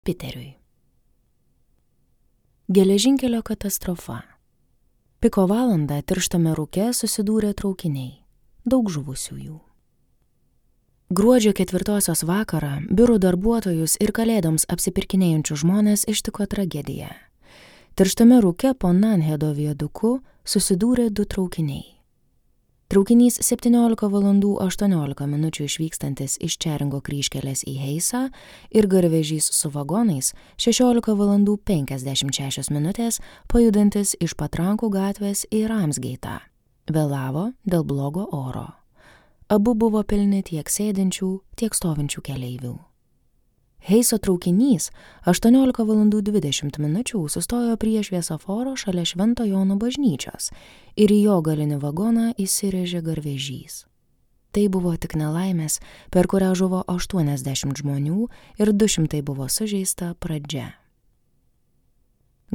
Piteriui. Geležinkelio katastrofa. Piko valandą tirštame rūke susidūrė traukiniai. Daug žuvusiųjų. Gruodžio 4 vakarą biurų darbuotojus ir kalėdoms apsipirkinėjančių žmonės ištiko tragedija. Tirštame rūke po Nanhedo viaduku susidūrė 2 traukiniai. Traukinys 17:18 išvykstantis iš Čeringo kryžkelės į Heisą ir garvežys su vagonais 16:56 pajudantis iš Patrankų gatvės į Ramsgeitą. Vėlavo dėl blogo oro. Abu buvo pilni tiek sėdinčių, tiek stovinčių keleivių. Heiso traukinys 18:20 sustojo prie šviesoforo šalia Švento Jono bažnyčios ir į jo galinį vagoną įsirėžė garvežys. Tai buvo tik nelaimės, per kurią žuvo 80 žmonių ir 200 buvo sužeista pradžia.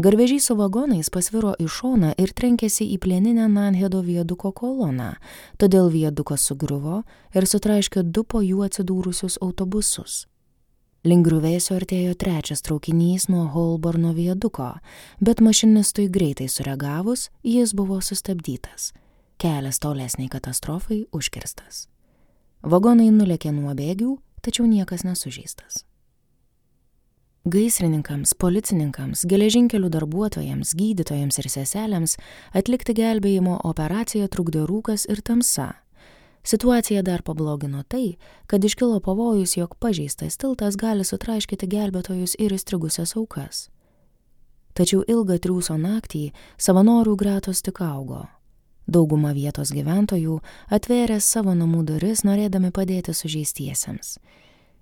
Garvežys su vagonais pasviro į šoną ir trenkėsi į plieninę Nanhedo viaduko koloną, todėl viadukas sugriuvo ir sutraiškė 2 po jų atsidūrusius autobusus. Link griuvėsio artėjo 3 traukinys nuo Holborno viaduko, bet mašinistui greitai sureagavus, jis buvo sustabdytas. Kelias tolesniai katastrofai užkirstas. Vagonai nulėkė nuo bėgių, tačiau niekas nesužeistas. Gaisrininkams, policininkams, geležinkelių darbuotojams, gydytojams ir seselėms atlikti gelbėjimo operaciją trukdė rūkas ir tamsa. Situaciją dar pablogino tai, kad iškilo pavojus, jog pažeistas tiltas gali sutraiškyti gelbėtojus ir įstrigusias aukas. Tačiau ilgą triūso naktį savanorių gretos tik augo. Dauguma vietos gyventojų atvėrė savo namų duris, norėdami padėti sužeistiesiems.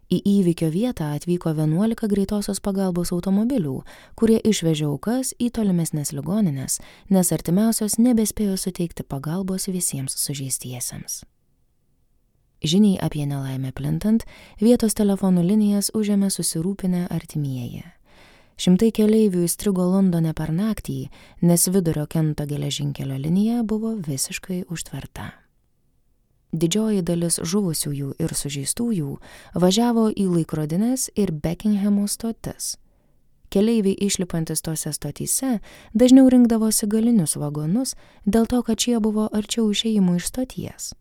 Į įvykio vietą atvyko 11 greitosios pagalbos automobilių, kurie išvežė aukas į tolimesnės ligoninės, nes artimiausios nebespėjo suteikti pagalbos visiems sužeistiesiems. Žiniai apie nelaimę plintant, vietos telefonų linijas užėmė susirūpinę artimieji. Šimtai keleivių įstrigo Londone per naktį, nes Vidurio Kento geležinkelio linija buvo visiškai užtverta. Didžioji dalis žuvusiųjų ir sužeistųjų važiavo į laikrodines ir Beckinghamo stotis. Keleiviai išlipantis tose stotyse dažniau rinkdavosi galinius vagonus dėl to, kad šie buvo arčiau išėjimų iš stoties.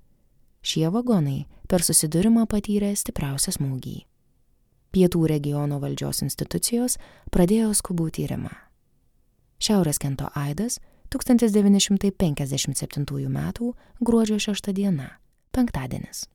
Šie vagonai per susidūrimą patyrė stipriausią smūgį. Pietų regiono valdžios institucijos pradėjo skubų tyrimą. Šiaurės Kento aidas 1957 m. gruodžio 6 diena, penktadienis.